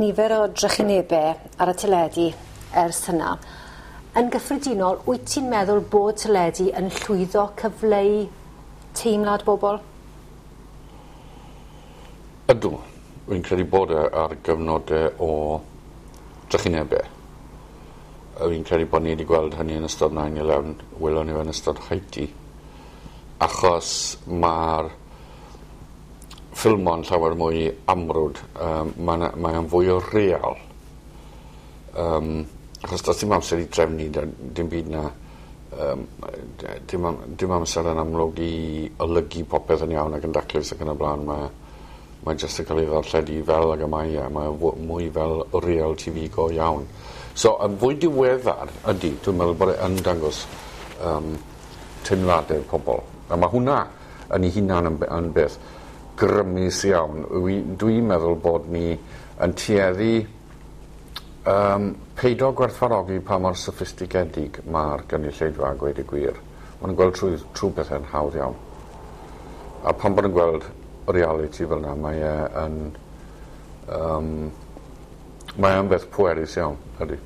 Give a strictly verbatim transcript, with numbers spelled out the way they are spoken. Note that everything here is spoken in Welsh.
Nifer o drychinebau ar y teledu ers hynna. Yn gyffredinol, wyt ti'n meddwl bod teledu yn llwyddo cyfleu teimlad bobl? Ydw. Rwy'n credu bod e ar gyfnode o drychinebau. Fi'n credu bod ni wedi gweld hynny yn ystod nine eleven, welon ni fe yn ystod Haiti. Achos ma'r ffilmo'n llawer mwy amrwd, um, mae'n mae o'n fwy o real. Um, achos does dim amser i drefnu dim byd na. Um, dim, dim amser yn amlwg i olygu popeth yn iawn ac yn daclus ac yn y blaen. Mae, mae jyst yn cael ei ddarlledu fel ag y mae e. Mae mwy fel real T V go iawn. So, yn fwy diweddar ydy, dwi'n meddwl bod e yn dangos um, teimladau pobl. A mae hwnna yn ei hunan yn, yn beth grymus iawn. Dwi'n dwi meddwl bod ni yn tueddu um, peido gwerthfawrogi pa mor soffistigedig mae'r gynulleidfa a gweud y gwir. Maen nhw'n gweld trwy, trwy bethau'n hawdd iawn. A pan bod yn gweld reality fel yna, mae e yn... Um, mae e'n beth pwerus iawn, ydy.